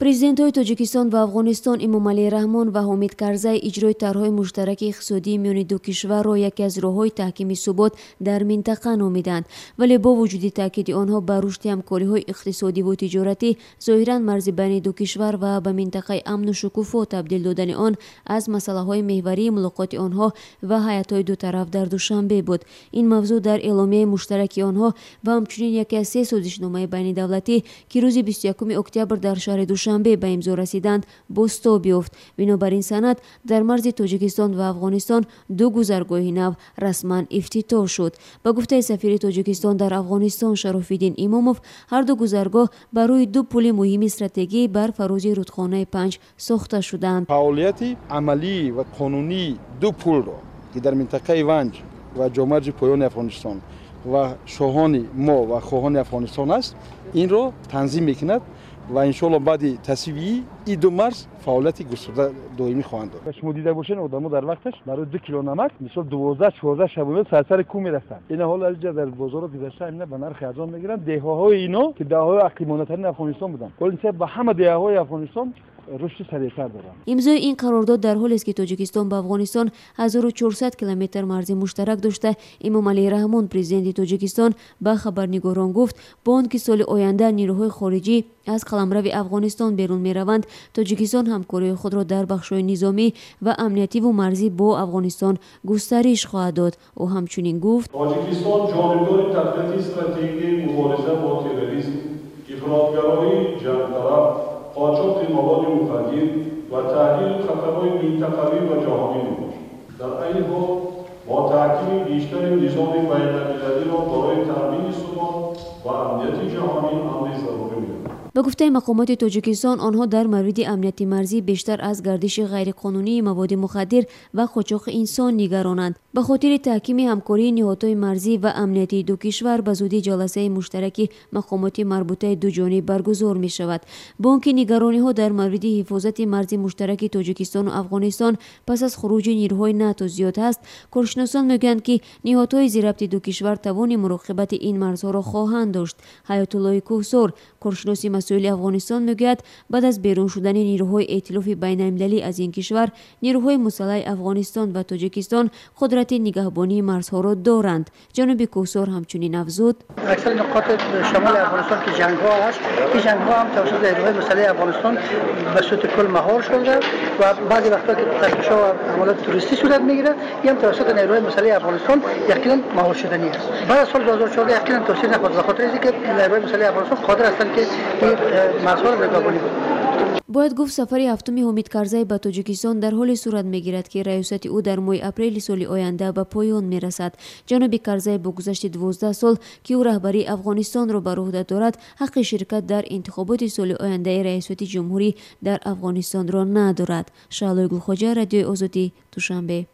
Президентҳои Тоҷикистон ва Афғонистон Эмомалӣ Раҳмон ва Ҳомид Карзай иҷрои тарҳҳои муштараки иқтисодии миёни ду кишварро яке аз роҳҳои таҳкими субот дар минтақа номиданд. Вале бо вуҷуди таъкиди онҳо ба рушди ҳамкориҳои иқтисодиву тиҷоратӣ, зоҳиран марзи байни ду кишвар ва ба минтақаи амну шукуфо табдил додани он аз масъалаҳои меҳварии мулоқоти онҳо ва ҳайатҳои ду тараф дар Душанбе буд. Ин мавзӯъ дар эъломияи муштараки онҳо ва ҳамчунин яке аз се созишномаи байнидавлатӣ, ки рӯзи 21 октябр дар шаҳри Душанбе ба имзо расиданд, бозтоб ёфт. Бинобар ин санад дар марзи Тоҷикистон ва Афғонистон ду гузаргоҳи нав расман ифтитоҳ шуд. Ба гуфтаи сафири Тоҷикистон дар Афғонистон Шарофиддин Имомов, ҳар ду гузаргоҳ барои ду пули муҳими стратегӣ бар фарози рудхонаи Панҷ сохта шуданд. Фаъолияти амалӣ ва қонунии ду пулро, ки дар минтақаи Ванҷ ва ҷомарҷи поёни Афғонистон ва шоҳони мо ва хоҳони Афғонистон аст, инро танзим мекунад ва иншоалло баъди тасвиби ин ду марз фаъолияти густурда доимӣ хоҳанд дошт. Шумо дида бошед, одамо дар вақташ барои 2 кило намак мисол 12-14 шабона сарсари кӯҳ мерафтанд. Ина ҳоло аз инҷа дар бозорҳо гузашта ина ба нархи арзон мегиранд. Деҳаҳои ино, ки деҳаҳои ақибмондатарини Афғонистон буданд, ҳоло нисбат ба ҳама деҳаҳои Афғонистон рушди сариътар доранд. Имзои ин қарордод дар ҳолест, ки Тоҷикистон ба Афғонистон 1400 километр марзи муштарак дошта. Эмомалӣ Раҳмон, президенти Тоҷикистон, ба хабарнигорон гуфт, бо он ки соли оянда нирӯҳои хориҷӣ аз қаламрави Афғонистон берун мераванд, Тоҷикистон ҳамкории худро дар бахшҳои низомӣ ва амниятиву марзӣ бо Афғонистон густариш хоҳад дод. Ӯ ҳамчунин гуфт: Тоҷикистон ҷонибдори татбиқи стратегияи мубориза бо терроризм, ифротгароии ҷангталаб, қочоқи маводи мухаддир ва таҳдиду хатарҳои минтақавӣ ва ҷаҳонӣ мебошад. Дар айни ҳол бо таҳкими бештари низоми байналмилалиро барои таъмини субот ва амнияти ҷаҳонӣ амри зарурӣ медонад. Ба гуфтаи мақомоти Тоҷикистон, онҳо дар мавриди амнияти марзӣ бештар аз гардиши ғайриқонунии маводи мухаддир ва қочоқи инсон нигаронанд. Ба хотири таҳкими ҳамкории ниҳодҳои марзӣ ва амниятии ду кишвар ба зудӣ ҷаласаи муштараки мақомоти марбутаи дуҷониб баргузор мешавад. Бо он ки нигарониҳо дар мавриди ҳифозати марзи муштараки Тоҷикистону Афғонистон пас аз хуруҷи нирӯҳои НАТО зиёд ҳаст, коршиносон мегӯянд, ки ниҳодҳои зирабти ду кишвар тавони муроқибати ин марзҳоро хоҳанд дошт. Ҳаётуллои Кӯҳсор, коршиноси масоили Афғонистон, мегӯяд, баъд аз берун шудани нирӯҳои эътилофи байналмилалӣ аз ин кишвар, нирӯҳои мусаллаҳи Афғонистон ва Тоҷикистон қудрати нигаҳбонии марзҳоро доранд. Ҷаноби Кӯҳсор ҳамчунин афзуд: аксари нуқоти шамоли Афғонистон ки ҷангҳо аст, ин ҷангҳо ҳам тавассути нирӯҳои мусаллаҳи Афғонистон ба сурати кул маҳор шуда ва баъзе вақтҳо ки тафтишҳо ва ҳамалоти туристӣ сурат мегирад, ин ҳам тавассути нирӯҳои мусаллаҳи Афғонистон яқинан маҳор шуданӣ аст. Баъд аз соли 2014 яқинан тавсия нахоҳад, ба хотири инки нирӯҳои мусаллаҳи Афғонистон қодир ҳастанд, ки ин марзҳоро нигаҳбонӣ кунанд. Бояд гуфт, сафари ҳафтуми Ҳомид Карзай ба Тоҷикистон дар ҳоле сурат мегирад, ки раёсати ӯ дар моҳи апрели соли оянда ба поён мерасад. Ҷаноби Карзай бо гузашти 12 сол, ки ӯ раҳбарии Афғонистонро бар уҳда дорад, ҳаққи ширкат дар интихоботи соли ояндаи раёсати ҷумҳурӣ дар Афғонистонро надорад. Шаҳлои Гулхоҷа, Радиои Озодӣ, Душанбе.